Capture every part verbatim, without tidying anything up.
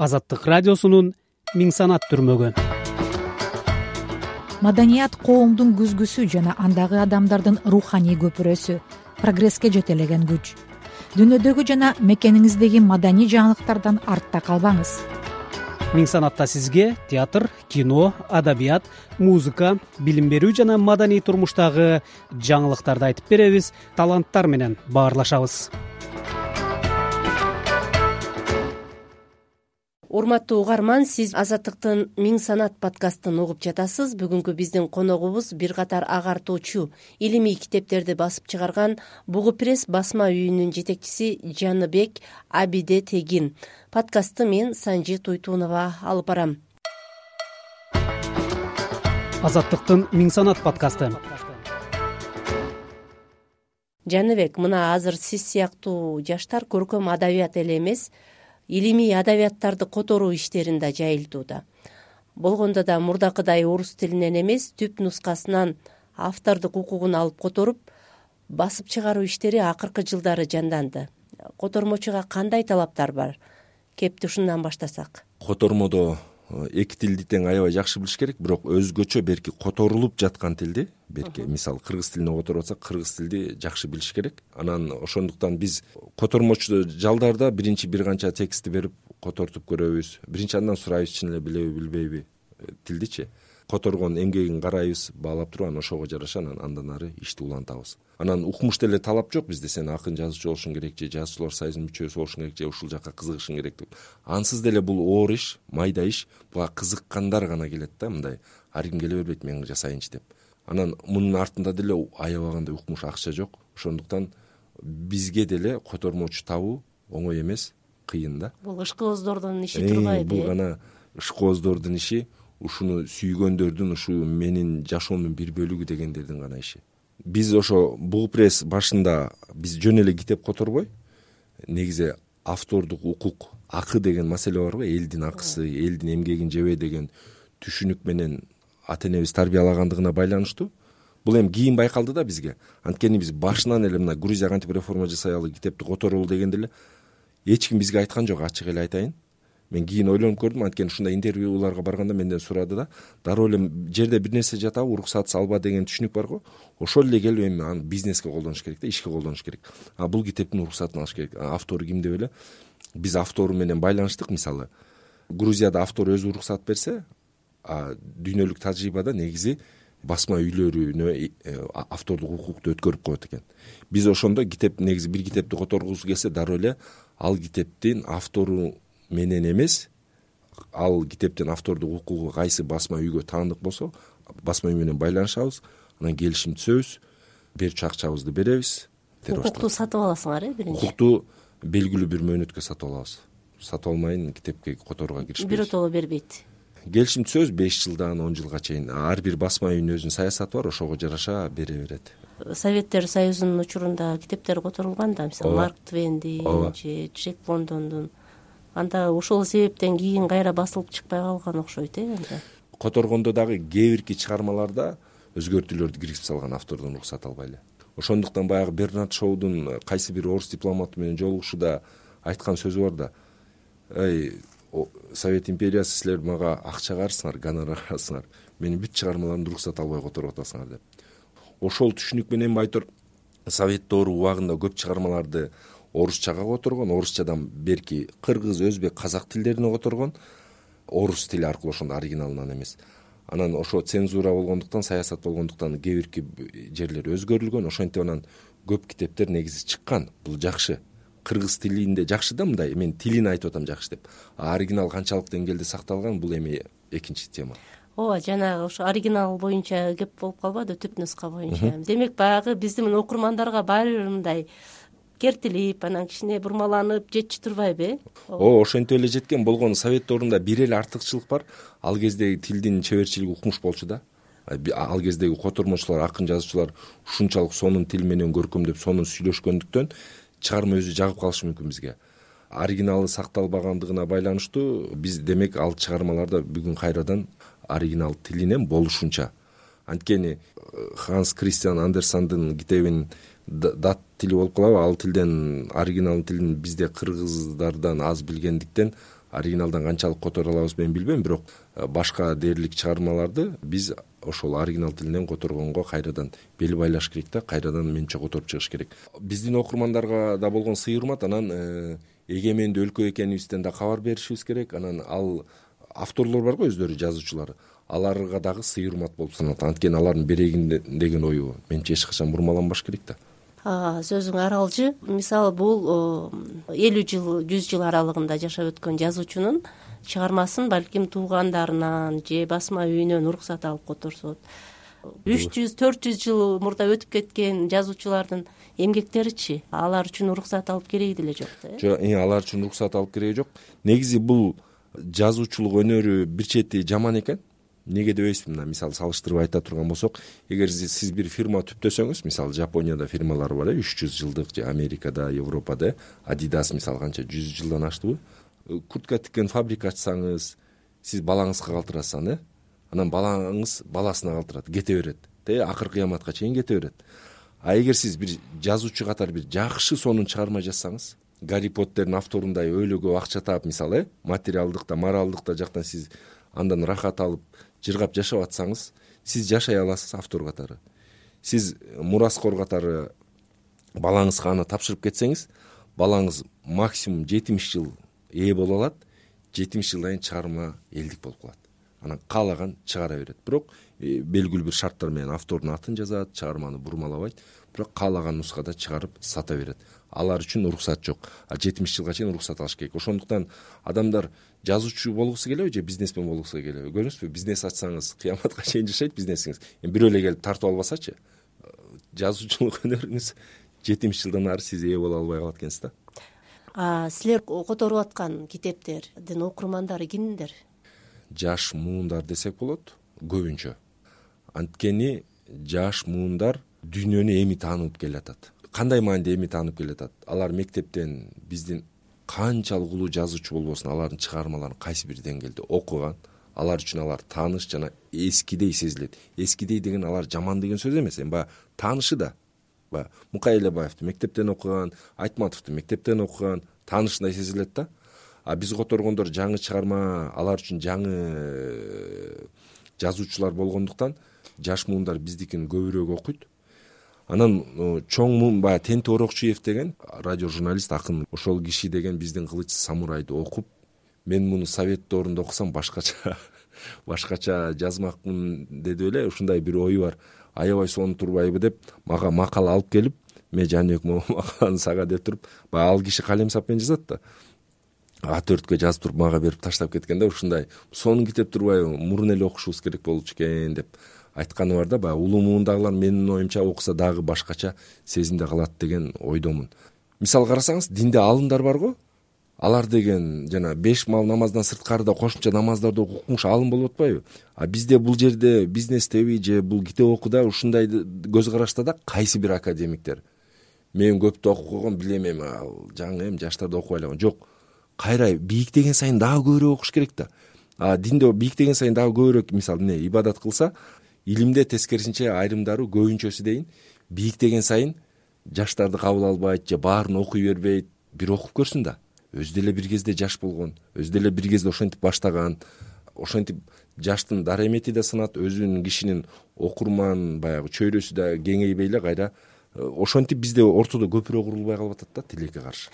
Азаттык радиосунун миң санат түрмөгү. Маданият коомдун күзгүсү жана андагы адамдардын руханий көпүрөсү, прогресске жетелеген күч. Дүйнөдөгү жана мекениңиздеги маданий жаңылыктардан артта калбаңыз. Миң санатта сизге театр, кино, адабият, музыка, билим берүү жана маданий турмуштагы жаңылыктарды айтып беребиз, таланттар менен баарлашабыз. Урматтуу угарман, сиз Азаттыктын Миң санат подкастын угуп жатасыз. Бүгүнкү биздин коногубуз бир катар агартуучу, илимий китептерди басып чыгарган Бугу пресс басма үйүнүн жетекчиси Жаныбек Абиде Тегин. Подкастты мен Санжи Туйтунова алып барам. Азаттыктын Миң санат подкасты. Жаныбек, мына азыр сиз сыяктуу жаштар көркөм адабият эле эмес, илимий адабияттарды которуу иштерин да жайылтууда. Болгондо да мурдакыдай орус тилинен эмес, түп нускасынан автордук укугун алып которуп, басып чыгаруу иштери акыркы жылдары жанданды. Котормочуга кандай талаптар бар? Кепти ушундан баштасак. Котормодо эки тилди тең аябай жакшы билиш керек, бирок өзгөчө берки которулуп жаткан тилди, берки мисалы кыргыз тилине которуп атсак, кыргыз тилди жакшы билиш керек. Анан ошондуктан биз котормочу жалдарда биринчи бир канча текстти берип котортуп көрөбүз. Биринчи андан сурайбыз, чын эле билеби билбейби тилдичи. Которгон эмгегин карайбыз, баалап туруп, анан ошого жараша анан андан ары ишти улантабыз. Анан укмуш деле талап жок бизде, сен акын жазуучу болушуң керек же жазуучулар союзунун мүчөсү болушуң керек же ушул жакка кызыгышың керек деп. Ансыз деле бул оор иш, майда иш, буга кызыккандар гана келет да, мындай ар ким келе бербейт мен жасайынчы деп. Анан мунун артында деле аябагандай укмуш акча жок. Ошондуктан бизге деле котормочу табуу оңой эмес, кыйын да. Бул ышкооздордун иши турбайбы? Бул гана ышкооздордун иши, ушуну сүйгөндөрдүн, ушу менин жашоомдун бир бөлүгү дегендердин гана иши. Биз ошо Бугу пресс башында биз жөн эле китеп которбой, негизи автордук укук, акы деген маселе бар го, элдин акысы, элдин эмгегин жебе деген түшүнүк менен ата энебиз тарбиялагандыгына байланыштуу. Бул эми кийин байкалды да бизге. Анткени биз башынан эле мына Грузия кантип реформа жасаялы, китепти которолу дегенде эле эч ким бизге айткан жок, ачык эле айтайын. Мен кийин ойлонуп көрдүм, анткени ушундай интервьюларга барганда менден сурады да, дароо эле жерде бир нерсе жатабы, уруксатсыз алба деген түшүнүк бар го. Ошол эле келип эми аны бизнеске колдонуш керек да, ишке колдонуш керек. А бул китептин уруксатын алыш керек. Автору ким деп эле биз автору менен байланыштык. Мисалы, Грузияда автор өзү уруксат берсе, а дүйнөлүк тажрыйбада негизи басма үйлөрүнө автордук укукту өткөрүп коет экен. Биз ошондо китеп, негизи бир китепти которгусу келсе, дароо эле ал китептин автору менен эмес, ал китептин автордук укугу кайсы басма үйгө таандык болсо, басма үй менен байланышабыз, анан келишим түзөбүз, берчү акчабызды беребиз. Укукту сатып аласыңар, э, биринчи? Укукту белгилүү бир мөөнөткө сатып алабыз. Сатып алмайын китепке которууга киришпейбиз. Биротоло бербейт. Келишим түзөбүз беш жылдан он жылга чейин. Ар бир басма үйүнүн өзүнүн саясаты бар, ошого жараша бере берет. Советтер Союзунун учурунда китептер которулган да, мисалы Марк Твендин же Джек Лондондун. Анда ошол себептен кийин кайра басылып чыкпай калган окшойт, э, анда. Которгондо дагы кээ бирки чыгармаларда өзгөртүүлөрдү киргизип салган, автордон уруксат албай эле. Ошондуктан баягы Бернард Шоудун кайсы бир орус дипломаты менен жолугушууда айткан сөзү бар да. Эй, Совет империясы, силер мага акча карысыңар, гонорар карысыңар. Менин бүт чыгармаларымды уруксат албай которуп атасыңар деп. Ошол түшүнүк менен байтор Совет доору убагында көп чыгармаларды орусчага которгон, орусчадан берки кыргыз, өзбек, казак тилдерине которгон, орус тили аркылуу, ошондо оригиналынан эмес. Анан ошо цензура болгондуктан, саясат болгондуктан кээ бирки жерлер өзгөрүлгөн. Ошентип анан көп китептер негизи чыккан. Бул жакшы. Кыргыз тилинде жакшы да, мындай мен тилин айтып атам жакшы деп. А оригинал канчалык деңгээлде сакталган, бул эми экинчи тема. Ооба, жанагы ошо оригинал боюнча кеп болуп калбады, түп нуска боюнча. Демек баягы биздин окурмандарга баары бир мындай кертилип, анан кичине бурмаланып жетчү турбайбы, э? О, ошентип эле жеткен. Болгону Совет доорунда бир эле артыкчылык бар. Ал кездеги тилдин чеберчилиги укмуш болчу да. Ал кездеги котормочулар, акын жазуучулар ушунчалык сонун тил менен көркөмдөп, сонун сүйлөшкөндүктөн чыгарма өзү жагып калышы мүмкүн бизге. Оригиналы сакталбагандыгына байланыштуу биз демек ал чыгармаларда бүгүн кайрадан оригинал тилинен болушунча. Анткени Ханс Кристиан Андерсендин китебин дат тили болуп калабы, ал тилден оригинал тилин бизде кыргыздардан аз билгендиктен оригиналдан канчалык которо алабыз мен билбейм, бирок башка дээрлик чыгармаларды биз ошол оригинал тилинен которгонго кайрадан бел байлаш керек да, кайрадан менче которуп чыгыш керек. Биздин окурмандарга да болгон сый урмат, анан эгемендүү өлкө экенибизден да кабар беришибиз керек. Анан ал авторлор барго, өздөрү жазуучулар, аларга дагы сый урмат болуп саналат. Анткени алардын берейин деген ою менче эч качан бурмаланбаш керек да. Сөзүң аралжы. Мисалы бул элүү жыл, жүз жыл аралыгында жашап өткөн жазуучунун чыгармасын балким туугандарынан же басма үйүнөн уруксат алып которсот. үч жүз төрт жүз жыл мурда өтүп кеткен жазуучулардын эмгектеричи, алар үчүн уруксат алып кереги деле жок да. Жок, алар үчүн уруксат алып кереги жок. Негизи бул жазуучулук өнөрү бир чети жаман экен. Неге дебейсизби? Мына мисалы салыштырып айта турган болсок, эгер сиз бир фирма түптөсөңүз, мисалы Жапонияда фирмалар бар, үч жүз жылдык, же Америкада, Европада, Adidas мисалы канча жүз жылдан аштыбы? Куртка тиккен фабрика ачсаңыз, сиз балаңызга калтырасыз аны, анан балаңыз баласына калтырат, кете берет, те акыр кыяматка чейин кете берет. А эгер сиз бир жазуучу катары бир жакшы сонун чыгарма жазсаңыз, Гарри Поттердин авторундай өйлө көп акча таап, мисалы, материалдык да, моралдык да жактан сиз андан рахат алып, жыргап жашап атсаңыз, сиз жашай аласыз автор катары. Сиз мураскор катары балаңызга аны тапшырып кетсеңиз, балаңыз максимум жетимиш жыл ээ боло алат, жетимиш жылдан кийин чыгарма элдик болуп калат. Анан каалаган чыгара берет. Бирок белгилүү бир шарттар менен автордун атын жазат, чыгарманы бурмалабайт, бирок каалаган нускада чыгарып сата берет. Алар үчүн уруксат жок. А жетимиш жылга чейин уруксат алыш керек. Ошондуктан адамдар жазуучу болгусу келеби же бизнесмен болгусу келеби? Көрдүңүзбү, бизнес ачсаңыз кыяматка чейин жашайт бизнесиңиз. Эми бирөө эле келип тартып албасачы, жазуучулук өнөрүңүз жетимиш жылдан ары сиз ээ боло албай калат экенсиз да. А силер которуп аткан китептердин окурмандары кимдер? Жаш муундар десек болот, көбүнчө. Анткени жаш муундар дүйнөнү эми таанып келатат. Кандай мааниде эми таанып келатат? Алар мектептен биздин канчалык улуу жазуучу болбосун, алардын чыгармаларын кайсы бир деңгээлде окуган, алар үчүн алар тааныш жана эскидей сезилет. Эскидей деген алар жаман деген сөз эмес, эми баягы таанышы да. Баягы Мукай Элебаевди мектептен окуган, Айтматовду мектептен окуган, таанышындай сезилет да. А биз которгондор жаңы чыгарма, алар үчүн жаңы жазуучулар болгондуктан жаш муундар биздикин көбүрөөк окуйт. Анан чоң муун баягы Тенти Орокчуев деген радио журналист, акын, ошол киши деген биздин Кылыч самурайды окуп, мен муну совет доорунда окусам башкача башкача жазмакмын деди эле, ушундай бир ою бар. Аябай сонун турбайбы деп мага макала алып келип, мен Жаныбек макаланы сага деп туруп, баягы ал киши калем сапмен жазат да. А төрткө жазып туруп мага берип таштап кеткенде, ушундай сонун китеп турбайбы, мурун эле окушубуз керек болчу экен деп айтканы бар да. Баягы улуу муундагылар менин оюмча окуса дагы башкача сезимде калат деген ойдомун. Мисал карасаңыз, динде алымдар барго, алар деген жана беш мал намаздан сырткарыда кошумча намаздарды окумуш алым болуп атпайбы? А бизде бул жерде бизнестеби же бул китеп окууда ушундай көз карашта да кайсы бир академиктер мен көптү окуп койгон билем, эми ал жаңы эми жаштарды окубайлаган жок. Кайра бийиктеген сайын дагы көбүрөөк окуш керек да. А динде бийиктеген сайын дагы көбүрөөк, мисалы эмне ибадат кылса, илимде тескерисинче айрымдары көбүнчөсү дейин бийиктеген сайын жаштарды кабыл албайт же баарын окуй бербейт. Бир окуп көрсүн да. Өзү деле бир кезде жаш болгон, өзү деле бир кезде ошентип баштаган, ошентип жаштын дарамети да сынат, өзүнүн кишинин окурман баягы чөйрөсү да кеңейбей эле кайра ошентип бизде ортодо көпүрөөк курулбай калып атат да тилекке каршы.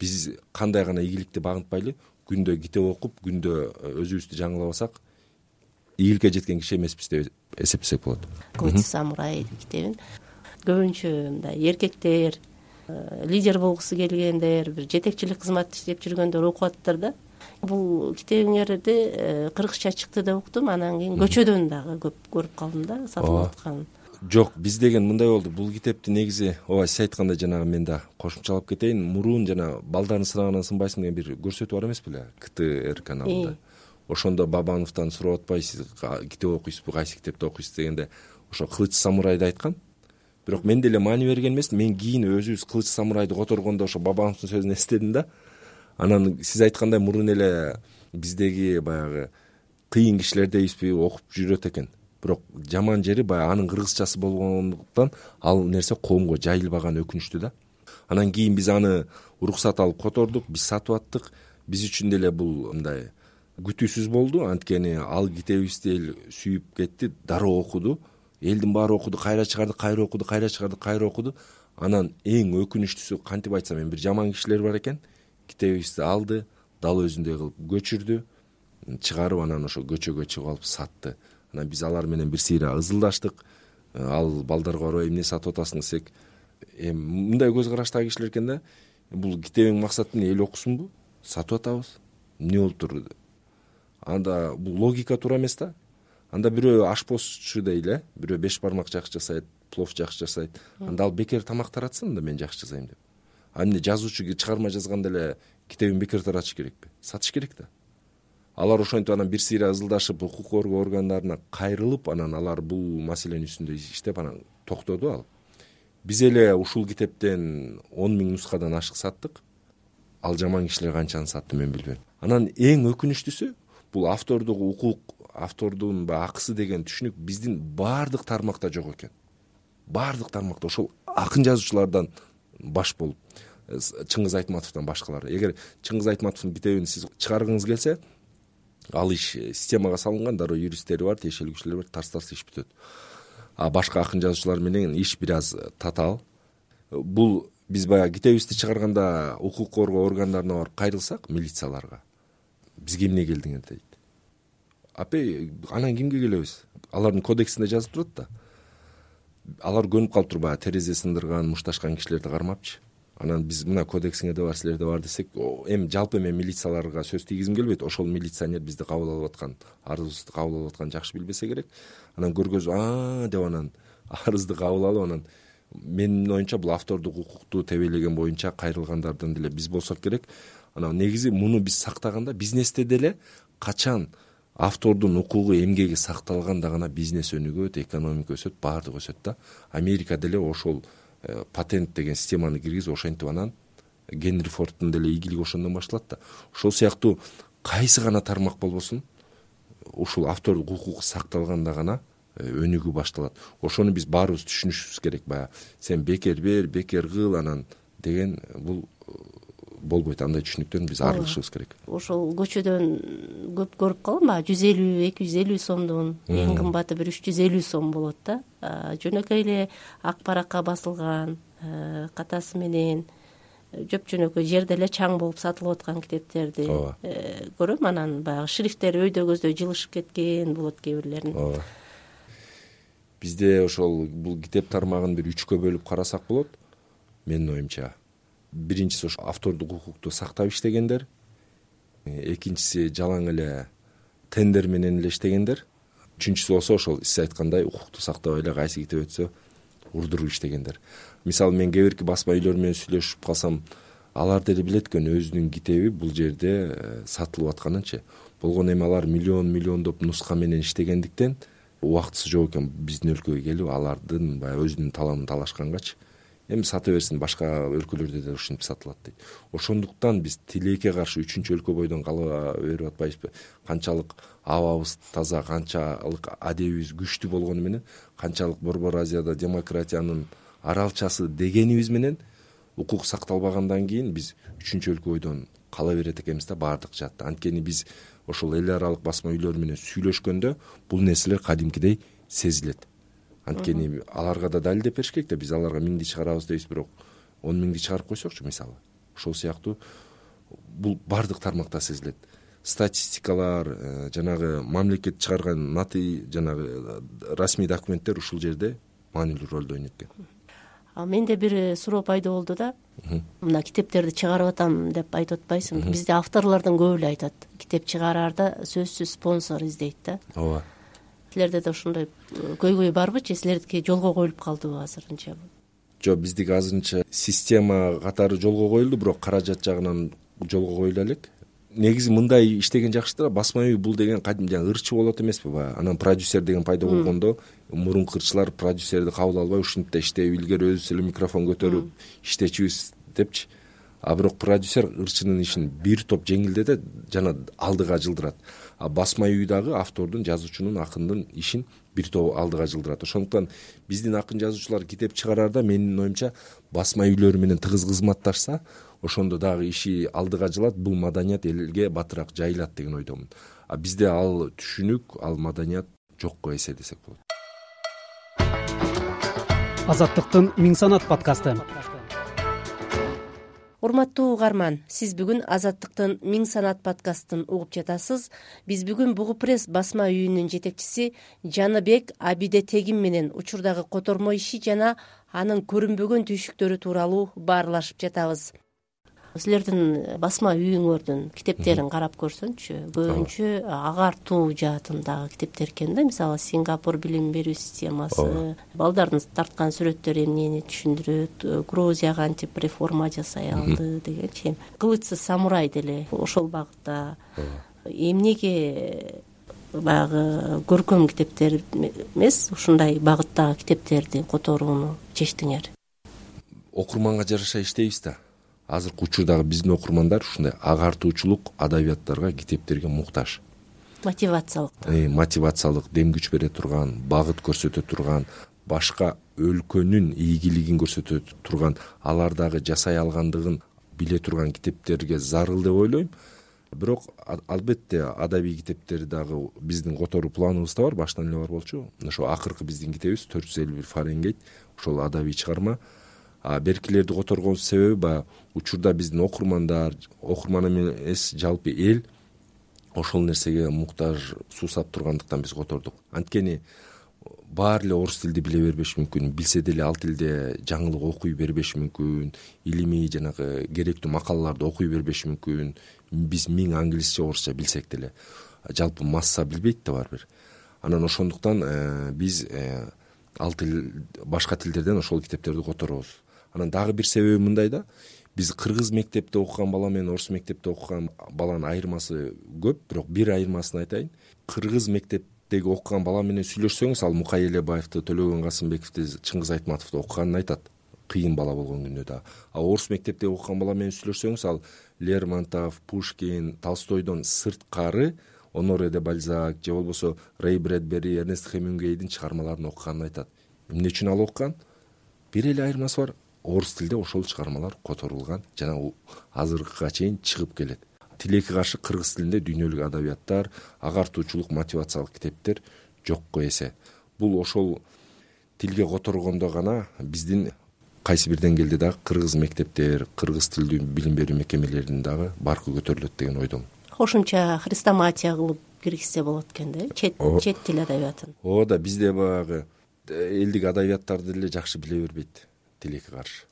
Биз кандай гана ийгиликти багынтпайлы, күндө китеп окуп, күндө өзүбүздү жаңылабасак, ийгиликке жеткен киши эмеспиз деп эсептесек болот. Кылыч самурай китебин көбүнчө мындай эркектер, лидер болгусу келгендер, бир жетекчилик кызмат иштеп жүргөндөр окуп атыптыр да. Бул китебиңерди кыргызча чыкты деп уктум, анан кийин көчөдөн дагы көп көрүп калдым да сатылып атканын. Жок, биз деген мындай болду. Бул китепти негизи, ооба сиз айткандай жанагы мен да кошумчалап кетейин. Мурун жана балдарын сынагынан сынбайсың деген бир көрсөтүү бар эмес беле? ка тэ эр каналында. Ошондо Бабановдон сурап атпайсыз, китеп окуйсузбу, кайсы китепти окуйсуз дегенде, ошо Кылыч самурайды айткан. Бирок мен деле маани берген эмесмин. Мен кийин өзүбүз Кылыч самурайды которгондо ошо Бабановдун сөзүн эстедим да. Анан сиз айткандай мурун эле биздеги баягы кыйын кишилер дейбизби окуп жүрөт экен. Бирок жаман жери баягы анын кыргызчасы болгондуктан ал нерсе коомго жайылбаган, өкүнүчтүү да. Анан кийин биз аны уруксат алып котордук, биз сатып аттык. биз үчүн деле бул мындай күтүүсүз болду. Анткени ал китебибизди эл сүйүп кетти, дароо окуду. Элдин баары окуду, кайра чыгарды, кайра окуду, кайра чыгарды, кайра окуду. Анан эң өкүнүчтүүсү, кантип айтсам эми, бир жаман кишилер бар экен. Китебибизди алды, дал өзүндөй кылып көчүрдү, чыгарып анан ошо көчөгө чыгып алып сатты. Анан биз алар менен бир сыйра ызылдаштык. Ал балдарга барбай эмне сатып атасың десек, эми мындай көз караштагы кишилер экен да. Бул китебиң максаты эмне, эл окусунбу? Сатып атабыз. Эмне болуп тур? Анда бул логика туура эмес да. Анда бирөө ашпозчу дейли, бирөө беш бармак жакшы жасайт, плов жакшы жасайт. Анда ал бекер тамак таратсын да, мен жакшы жасайм деп. А эмне жазуучу чыгарма жазганда эле китебин бекер таратыш керекпи? Сатыш керек да. Алар ошентип анан бир сыйра ызылдашып, укук коргоо органдарына кайрылып, анан алар бул маселенин үстүндө иштеп анан токтоду ал. Биз эле ушул китептен он миң нускадан ашык саттык. Ал жаман кишилер канчаны сатты мен билбейм. Анан эң өкүнүчтүүсү, бул автордук укук, автордун баягы акысы деген түшүнүк биздин баардык тармакта жок экен. Баардык тармакта ошол акын жазуучулардан баш болуп, Чыңгыз Айтматовдон башкалар. Эгер Чыңгыз Айтматовдун китебин сиз чыгаргыңыз келсе, ал иш системага салынган, дароо юристтери бар, тиешелүү кишилер бар, тарс-тарс иш бүтөт. А башка акын жазуучулар менен иш бир аз татаал. Бул биз баягы китебибизди чыгарганда укук коргоо органдарына барып кайрылсак, милицияларга, бизге эмне келдиңер дейт. Апей, анан кимге келебиз? Алардын кодексинде жазып турат да. Алар көнүп калыптыр баягы терезе сындырган, мушташкан кишилерди кармапчы. Анан биз мына кодексиңерде бар, силерде бар десек, эми жалпы мен милицияларга сөз тийгизим келбейт. Ошол милиционер бизди кабыл алып аткан, арызыбызды кабыл алып аткан жакшы билбесе керек. Анан көргөзүп, а деп анан арызды кабыл алып, анан менин оюмча бул автордук укукту тебелеген боюнча кайрылгандардан деле биз болсок керек. Анан негизи муну биз сактаганда, бизнесте деле качан автордун укугу, эмгеги сакталганда гана бизнес өнүгөт, экономика өсөт, баардыгы өсөт да. Америка деле ошол патент деген системаны киргизип, ошентип анан Генри Фордтун деле ийгилиги ошондон башталат да. Ошол сыяктуу кайсы гана тармак болбосун, ушул автордук укук сакталганда гана өнүгүү башталат. Ошону биз баарыбыз түшүнүшүбүз керек. Баягы сен бекер бер, бекер кыл анан деген бул болбойт. Андай түшүнүктөн биз арылышыбыз керек. Ошол көчөдөн көп көрүп калам, баягы жүз элүү, эки жүз элүү сомдон эң кымбаты бир үч жүз элүү сом болот да. Жөнөкөй эле ак баракка басылган, катасы менен жөп-жөнөкөй жерде эле чаң болуп сатылып аткан китептерди көрөм. Анан баягы шрифттери өйдө көздөй жылышып кеткен болот кээ бирлерин. Ооба. Бизде ошол бул китеп тармагын бир үчкө бөлүп карасак болот. Менин оюмча, биринчиси ошо автордук укукту сактап иштегендер, экинчиси жалаң эле тендер менен эле иштегендер, үчүнчүсү болсо ошол сиз айткандай укукту сактабай эле кайсы китеп өтсө урдуруп иштегендер. Мисалы мен кээ бирки басма үйлөр менен сүйлөшүп калсам, алар деле билет экен өзүнүн китеби бул жерде сатылып атканынчы. Болгону эми алар миллион миллиондоп нуска менен иштегендиктен убактысы жок экен биздин өлкөгө келип алардын баягы өзүнүн таламын талашкангачы. Эми сата берсин, башка өлкөлөрдө да ушинтип сатылат дейт. Ошондуктан биз тилекке каршы үчүнчү өлкө бойдон кала берип атпайбызбы? Канчалык абабыз таза, канчалык адебибиз күчтүү болгону менен, канчалык Борбор Азияда демократиянын аралчасы дегенибиз менен укук сакталбагандан кийин биз үчүнчү өлкө бойдон кала берет экенбиз да, баардык жаатта. Анткени биз ошол эл аралык басма үйлөр менен сүйлөшкөндө бул нерселер кадимкидей сезилет. Анткени аларга да далилдеп бериш керек да, биз аларга миңди чыгарабыз дейбиз, бирок он миңди чыгарып койсокчу мисалы. Ошол сыяктуу бул баардык тармакта сезилет. Статистикалар, жанагы мамлекет чыгарган наты, жанагы расмий документтер ушул жерде маанилүү ролду ойнойт экен. А менде бир суроо пайда болду да. Мына китептерди чыгарып атам деп айтып атпайсыңбы? Бизде авторлордун көбү эле айтат, китеп чыгараарда сөзсүз спонсор издейт да. Ооба. Силерде да ошондой көйгөй барбы же силердики жолго коюлуп калдыбы азырынча? Жок, биздики азырынча система катары жолго коюлду, бирок каражат жагынан жолго коюла элек. Негизи мындай иштеген жакшы да, басма үй бул деген кадим жаңы ырчы болот эмеспи баягы. Анан продюсер деген пайда болгондо мурунку ырчылар продюсерди кабыл албай ушинтип иштеп, илгери өзүбүз эле микрофон көтөрүп иштечүбүз депчи. а бирок продюсер ырчынын ишин бир топ жеңилдетет жана алдыга жылдырат. А басма үй дагы автордун, жазуучунун, акындын ишин бир топ алдыга жылдырат. Ошондуктан биздин акын жазуучулар китеп чыгарарда менин оюмча басма үйлөр менен тыгыз кызматташса, ошондо дагы иши алдыга жылат, бул маданият элге батыраак жайылат деген ойдомун. А бизде ал түшүнүк, ал маданият жокко эсе десек болот. Азаттыктын Миң санат подкасты. Урматтуу угарман, сиз бүгүн Азаттыктын Миң санат подкастын угуп жатасыз. Биз бүгүн Бугу пресс басма үйүнүн жетекчиси Жаныбек Абиде Тегин менен учурдагы котормо иши жана анын көрүнбөгөн түйшүктөрү тууралуу баарлашып жатабыз. Силердин басма үйүңөрдүн китептерин карап көрсөңчү, көбүнчө агартуу жаатындагы китептер экен да. Мисалы, Сингапур билим берүү системасы, балдардын тарткан сүрөттөрү эмнени түшүндүрөт, Грузия кантип реформа жасай алды дегенчи. Кылычсыз самурай деле ошол багытта. Эмнеге баягы көркөм китептер эмес, ушундай багыттагы китептерди которууну чечтиңер? Окурманга жараша иштейбиз да. Азыркы учурдагы биздин окурмандар ушундай агартуучулук адабияттарга, китептерге муктаж. Мотивациялык. Э, мотивациялык, дем күч бере турган, багыт көрсөтө турган, башка өлкөнүн ийгилигин көрсөтө турган, алардагы жасай алгандыгын биле турган китептерге зарыл деп ойлойм. Бирок албетте адабий китептер дагы биздин которуу планыбызда бар, баштан эле бар болчу. Ошо акыркы биздин китебибиз төрт жүз элүү бир Фаренгейт, ошол адабий чыгарма. А беркилерди которгон себеби баягы учурда биздин окурмандар, окурман эмес жалпы эл ошол нерсеге муктаж суусап тургандыктан биз котордук. Анткени баары эле орус тилди биле бербеши мүмкүн, билсе деле ал тилде жаңылык окуй бербеши мүмкүн, илимий жанагы керектүү макалаларды окуй бербеши мүмкүн. Биз миң англисче, орусча билсек деле жалпы масса билбейт да баары бир. Анан ошондуктан э, биз э, ал тил, башка тилдерден ошол китептерди которобуз. Анан дагы бир себеби мындай да, биз кыргыз мектепте окуган бала менен орус мектепте окуган баланын айырмасы көп, бирок бир айырмасын айтайын. Кыргыз мектептеги окуган бала менен сүйлөшсөңүз, ал Мукай Элебаевди, Төлөгөн Касымбековди, Чыңгыз Айтматовду окуганын айтат, кыйын бала болгон күндө да. А орус мектептеги окуган бала менен сүйлөшсөңүз, ал Лермонтов, Пушкин, Толстойдон сырткары Оноре де Бальзак же болбосо Рэй Брэдбери, Эрнест Хемингуэйдин чыгармаларын окуганын айтат. Эмне үчүн ал окуган? Бир эле айырмасы бар. Орус тилде ошол чыгармалар которулган жана азыркыга чейин чыгып келет. Тилекке каршы кыргыз тилинде дүйнөлүк адабияттар, агартуучулук, мотивациялык китептер жокко эсе. Бул ошол тилге которгондо гана биздин кайсы бир деңгээлде дагы кыргыз мектептер, кыргыз тилдүү билим берүү мекемелеринин дагы баркы көтөрүлөт деген ойдомун. Кошумча хрестоматия кылып киргизсе болот экен да, чет чет тил адабиятын. Ооба да, бизде баягы элдик адабияттарды деле жакшы биле бербейт тилекке каршы.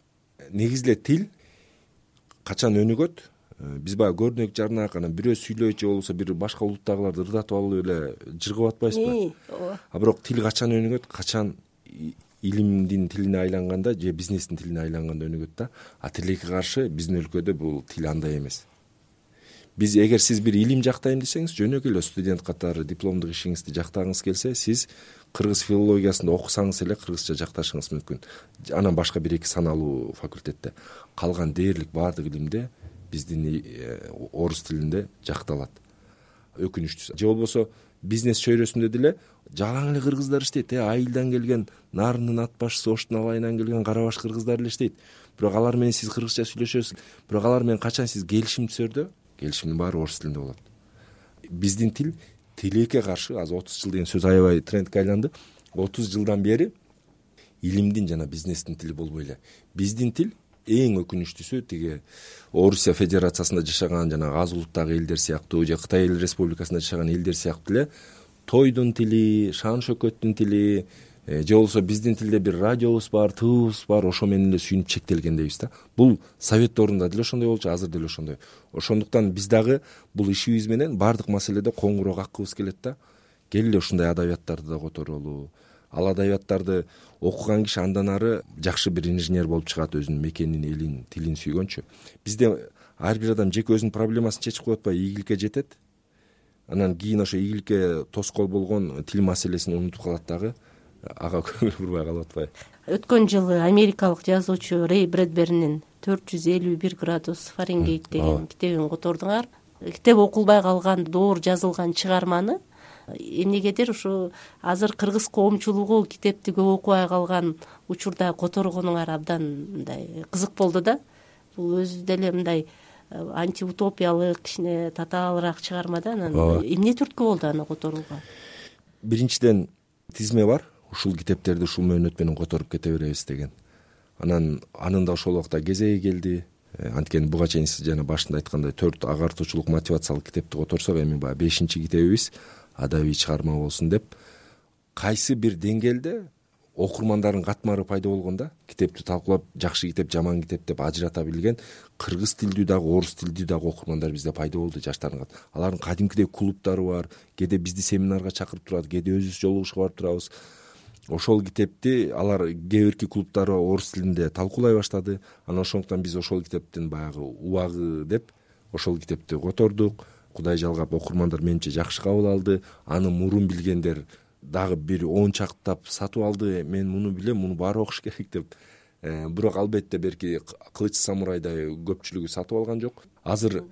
Негизи эле тил качан өнүгөт? Биз баягы көрнөк жарнак, анан бирөө сүйлөйт же болбосо бир башка улуттагыларды ырдатып алып эле жыргап атпайсызбы? Ооба. А бирок тил качан өнүгөт? Качан илимдин тилине айланганда же бизнестин тилине айланганда өнүгөт да. А тилекке каршы биздин өлкөдө бул тил андай эмес. Биз эгер сиз бир илим жактайм десеңиз, жөнөкөй эле студент катары дипломдук ишиңизди жактагыңыз келсе, сиз кыргыз филологиясында окусаңыз эле кыргызча жакташыңыз мүмкүн. Анан башка бир эки саналуу факультетте. Калган дээрлик баардык илимде биздин орус тилинде жакталат. Өкүнүчтүүсү. Же болбосо бизнес чөйрөсүндө деле жалаң эле кыргыздар иштейт. Э, Айылдан келген, Нарындын ат башчысы Оштун алайынан келген Карабаш кыргыздар эле иштейт. Бирок алар менен сиз кыргызча сүйлөшөсүз. Бирок алар менен качан сиз келишим түзөрдө, келишимдин баары орус тилинде болот. Биздин тил тилекке каршы азыр отуз жыл деген сөз аябай трендке айланды. отуз жылдан бери илимдин жана бизнестин тили болбой эле. Биздин тил эң өкүнүчтүүсү тиги Орусия Федерациясында жашаган жана аз улуттагы элдер сыяктуу же Кытай Эл Республикасында жашаган элдер сыяктуу эле тойдун тили, шан шөкөттүн тили, же болбосо биздин тилде бир радиобуз бар, тыбыбыз бар, ошо менен эле сүйүнүп чектелген дейбиз да. Бул совет доорунда деле ошондой болчу, азыр деле ошондой. Ошондуктан биз дагы бул ишибиз менен баардык маселеде коңгуроо каккыбыз келет да. Кел эле ушундай адабияттарды да которолу. Ал адабияттарды окуган киши андан ары жакшы бир инженер болуп чыгат, өзүнүн мекенин, элин, тилин сүйгөнчү. Бизде ар бир адам жеке өзүнүн проблемасын чечип коюп атпай, ийгиликке жетет. Анан кийин ошо ийгиликке тоскоол болгон тил маселесин унутуп калат дагы. Ага көңүл бурбай калып атпайбы? Өткөн жылы америкалык жазуучу Рэй Брэдберинин төрт жүз элүү бир градус Фаренгейт деген китебин котордуңар. Китеп окулбай калган, доор жазылган чыгарманы эмнегедир ушу азыр кыргыз коомчулугу китепти көп окубай калган учурда которгонуңар абдан мындай кызык болду да. Бул өзү деле мындай антиутопиялык, кичине татаалыраак чыгарма да. Анан эмне түрткү болду аны которууга? Биринчиден тизме бар. Ушул китептерди ушул мөөнөт менен которуп кете беребиз деген. Анан анын да ошол убакта кезеги келди. Анткени буга чейин сиз жана башында айткандай төрт агартуучулук мотивациялык китепти которсок, эми баягы бешинчи китебибиз адабий чыгарма болсун деп кайсы бир деңгээлде окурмандардын катмары пайда болгон да. Китепти талкуулап жакшы китеп, жаман китеп деп ажырата билген кыргыз тилдүү дагы, орус тилдүү дагы окурмандар бизде пайда болду, жаштардын. Алардын кадимкидей клубдары бар, кээде бизди семинарга чакырып турат, кээде өзүбүз жолугушууга барып турабыз. Ошол китепти алар кээ бирки клубдары орус тилинде талкуулай баштады. Анан ошондуктан биз ошол китептин баягы убагы деп ошол китепти котордук. Кудай жалгап окурмандар менимче жакшы кабыл алды. Аны мурун билгендер дагы бир он чактап сатып алды. Мен муну билем, муну баары окуш керек деп. Бирок албетте берки Кылыч самурайдай көпчүлүгү сатып алган жок. Азыр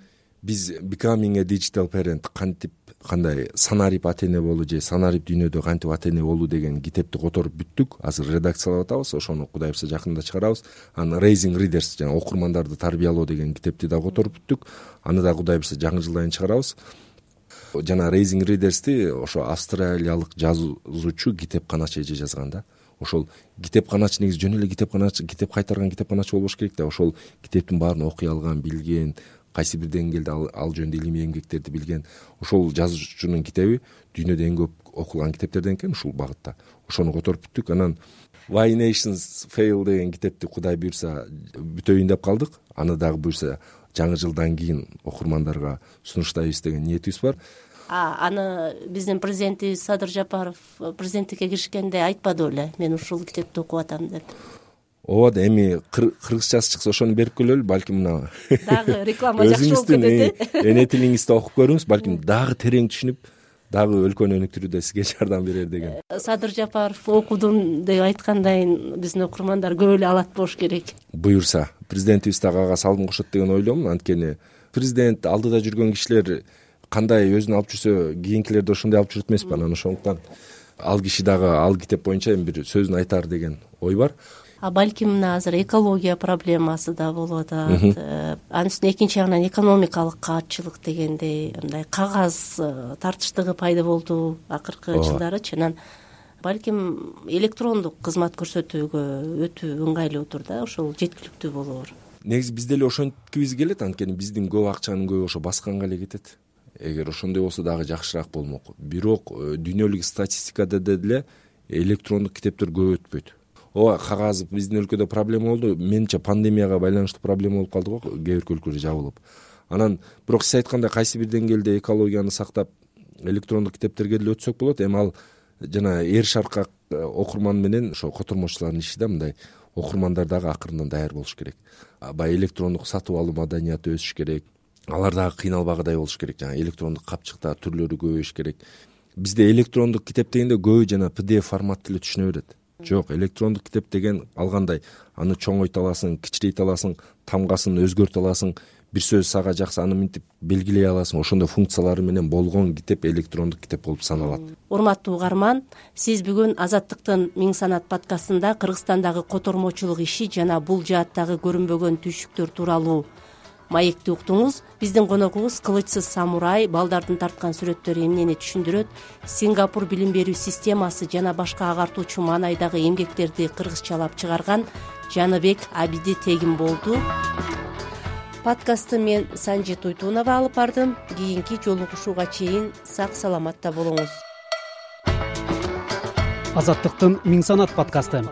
биз Becoming a Digital Parent, кантип кандай санарип ата эне болуу же санарип дүйнөдө кантип ата эне болуу деген китепти которуп бүттүк. Азыр редакциялап атабыз, ошону Кудай буйрса жакында чыгарабыз. Анан Raising Readers, жана окурмандарды тарбиялоо деген китепти да которуп бүттүк. Аны да Кудай буйрса жакын жылдан чыгарабыз. Жана Raising Readers'ти ошо австралиялык жазуучу китепканачы эже жазган да. Ошол китепканачы негизи жөн эле китепканачы, китеп кайтарган китепканачы болбош керек да. Ошол китептин баарын окуй алган, билген, кайсы бир деңгээлде ал, ал жөнүндө илимий эмгектерди билген ошол жазуучунун китеби дүйнөдө эң көп окулган китептерден экен ушул багытта. Ошону которуп бүттүк. Анан Why Nations Fail деген китепти Кудай буйрса бүтөйүн деп калдык. Аны дагы буйрса жаңы жылдан кийин окурмандарга сунуштайбыз деген ниетибиз бар. А аны биздин президентибиз Садыр Жапаров президенттикке киришкенде айтпады беле, мен ушул китепти окуп атам деп. Ооба, эми кыргызчасы чыкса ошону берип келели, балким мына дагы реклама жакшы болуп кетет. Эне тилиңизди окуп көрүңүз, балким дагы терең түшүнүп, дагы өлкөнү өнүктүрүүдө сизге жардам берер деген. Садыр Жапаров окудум деп айткандан биздин окурмандар көп эле алат болуш керек. Буюрса, президентибиз дагы ага салым кошот деген ойлойм. Анткени президент алдыда жүргөн кишилер кандай өзүн алып жүрсө, кийинкилерди ошондой алып жүрөт эмеспи? Анан ошондуктан ал киши дагы ал китеп боюнча эми бир сөзүн айтар деген ой бар. А балким мына азыр экология проблемасы да болуп атат. Анын үстүнө экинчи жагынан экономикалык каатчылык дегендей мындай кагаз тартыштыгы пайда болду акыркы жылдарычы. Анан балким электрондук кызмат көрсөтүүгө өтүү ыңгайлууdur да, ошол жеткиликтүү болоор. Негизи биз деле ошенткибиз келет, анткени биздин көп акчанын көбү ошо басканга эле кетет. Эгер ошондой болсо дагы жакшыраак болмок. Бирок дүйнөлүк статистикада деле электрондук китептер көп өтпөйт. Ооба, кагаз биздин өлкөдө проблема болду. Менимче пандемияга байланыштуу проблема болуп калды го, кээ бир өлкөлөр жабылып. Анан бирок сиз айткандай кайсы бир деңгээлде экологияны сактап электрондук китептерге деле өтсөк болот. Эми ал жана эр шаркак окурман менен ошо котормочулардын иши да, мындай окурмандар дагы акырындан даяр болуш керек. Баягы электрондук сатып алуу маданияты өсүш керек. Алар дагы кыйналбагыдай болуш керек. Жана электрондук капчыкта түрлөрү көбөйүш керек. Бизде электрондук китеп дегенде көбү жана пи ди эф формат эле түшүнө берет. Жок, электрондук китеп деген алгандай, аны чоңойто аласың, кичирейте аласың, тамгасын өзгөртө аласың, бир сөз сага жакса аны минтип белгилей аласың. Ошондой функциялары менен болгон китеп электрондук китеп болуп саналат. Урматтуу угарман, сиз бүгүн Азаттыктын Миң санат подкастында Кыргызстандагы котормочулук иши жана бул жааттагы көрүнбөгөн түйшүктөр тууралуу маекти уктуңуз. Биздин коногубуз Кылычсыз самурай балдардын тарткан сүрөттөрү эмнени түшүндүрөт, Сингапур билим берүү системасы жана башка агартуучу маанайдагы эмгектерди кыргызчалап чыгарган Жаныбек Абиди Тегин болду. Подкастты мен Санжи Туйтунова алып бардым. Кийинки жолугушууга чейин сак саламатта болуңуз. Азаттыктын Миң санат подкасты.